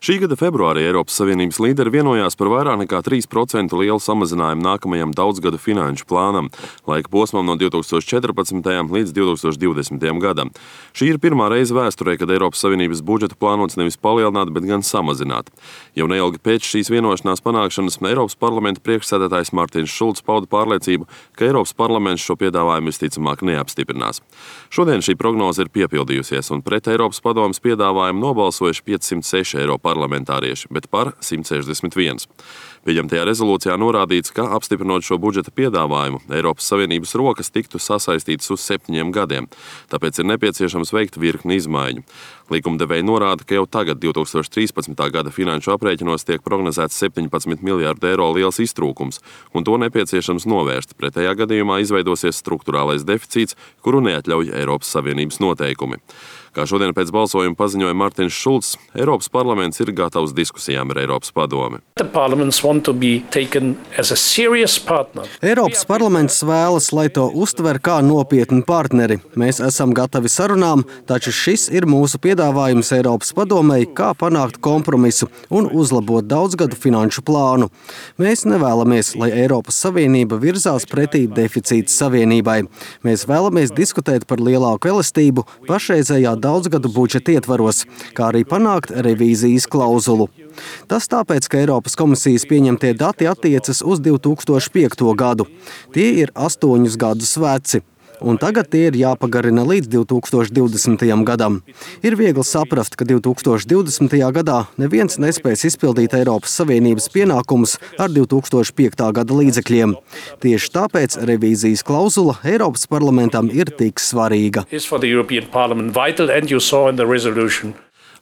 Šī gada februārī Eiropas Savienības līderi vienojās par vairāk nekā 3% lielu samazinājumu nākamajam daudzgadu finanšu plānam, laika posmam no 2014. līdz 2020. gadam. Šī ir pirmā reize vēsturē, kad Eiropas Savienības budžetu plānots nevis palielināt, bet gan samazināt. Jau neilgi pēc šīs vienošanās panākšanas Eiropas parlamenta priekšsēdētājs Martins Šulcs pauda pārliecību, ka Eiropas parlaments šo piedāvājumu visticamāk neapstiprinās. Šodien šī prognoze ir piepildījusies, un pret Eiropas padomes piedāvājumu nobalsojuši 506 parlamentārieši, bet par 161. Pieņemtajā rezolūcijā norādīts, ka apstiprinot šo budžeta piedāvājumu, Eiropas Savienības rokas tiktu sasaistītas uz 7 gadiem, tāpēc ir nepieciešams veikt virkni izmaiņu. Likumdevēji norāda, ka jau tagad 2013. gada finanšu aprēķinos tiek prognozēts 17 miljārdu eiro liels iztrūkums, un to nepieciešams novērst. Pretējā gadījumā izveidosies strukturālais deficīts, kuru neatļauj Eiropas Savienības noteikumi. Kā šodien pēc balsojuma paziņoja Martins Šulcs, Eiropas parlaments ir gatavs diskusijām ar Eiropas padomi. Eiropas parlaments vēlas, lai to uztver kā nopietnu partneri. Mēs esam gatavi sarunām, taču šis ir mūsu piedāvājums Eiropas padomei, kā panākt kompromisu un uzlabot daudzgadu finanšu plānu. Mēs nevēlamies, lai Eiropas Savienība virzās pretī deficīta savienībai. Mēs vēlamies diskutēt par lielāku elastību pašreizējā daudzgadu budžeta ietvaros, kā arī panākt revīzijas klauzulu. Tas tāpēc, ka Eiropas komisijas pieņemtie dati attiecas uz 2005. gadu. Tie ir 8 gadus veci, un tagad tie ir jāpagarina līdz 2020. gadam. Ir viegli saprast, ka 2020. gadā neviens nespēs izpildīt Eiropas Savienības pienākumus ar 2005. gada līdzekļiem. Tieši tāpēc revīzijas klauzula Eiropas parlamentam ir tik svarīga.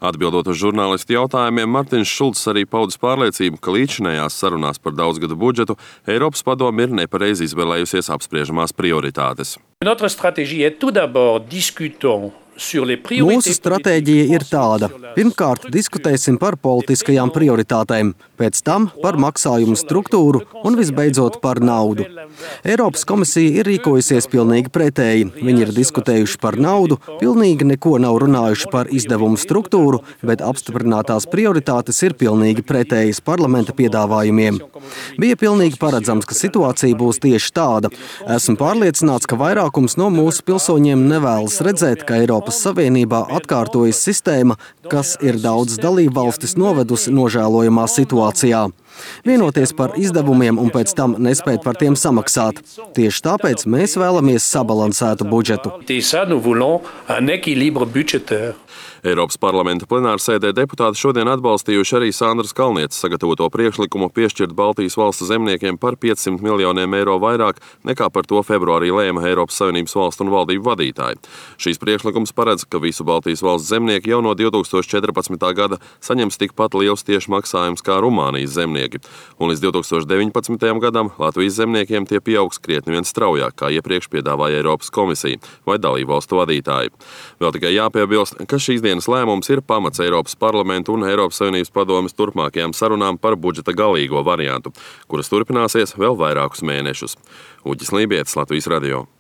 Atbildot uz žurnālistu jautājumiem, Martins Šulcs arī paudis pārliecību, ka līdzinējās sarunās par daudzgadu budžetu Eiropas padome ir nepareizi izvēlējusies apspriežamās prioritātes. Mūsu stratēģija ir tāda. Pirmkārt, diskutēsim par politiskajām prioritātēm, pēc tam par maksājumu struktūru un visbeidzot par naudu. Eiropas komisija ir rīkojusies pilnīgi pretēji. Viņi ir diskutējuši par naudu, pilnīgi neko nav runājuši par izdevumu struktūru, bet apstiprinātās prioritātes ir pilnīgi pretējas parlamenta piedāvājumiem. Bija pilnīgi paredzams, ka situācija būs tieši tāda. Esmu pārliecināts, ka vairākums no mūsu pilsoņiem nevēlas redzēt, ka Eiropas Savienībā atkārtojas sistēma, kas ir daudzas dalībvalstis novedusi nožēlojamā situācijā. Vienoties par izdevumiem un pēc tam nespēt par tiem samaksāt. Tieši tāpēc mēs vēlamies sabalansētu budžetu. Eiropas parlamenta plenārsēdē deputāti šodien atbalstījuši arī Sandras Kalnietes sagatavoto priekšlikumu piešķirt Baltijas valstu zemniekiem par 500 miljoniem eiro vairāk nekā par to februārī lēma Eiropas Savienības valstu un valdību vadītāji. Šīs priekšlikums paredz, ka visu Baltijas valstu zemnieki jau no 2014. gada saņems tikpat liels tieši maksājums kā Rumānijas zemnieki. Un līdz 2019. gadam Latvijas zemniekiem tie pieaugs krietni vien straujāk, kā iepriekš piedāvāja Eiropas komisija vai dalību valstu vadītāji. Vēl tikai jāpiebilst, ka šīs dienas lēmums ir pamats Eiropas parlamentu un Eiropas Savienības padomes turpmākajām sarunām par budžeta galīgo variantu, kuras turpināsies vēl vairākus mēnešus. Uģis Lībietis, Latvijas radio.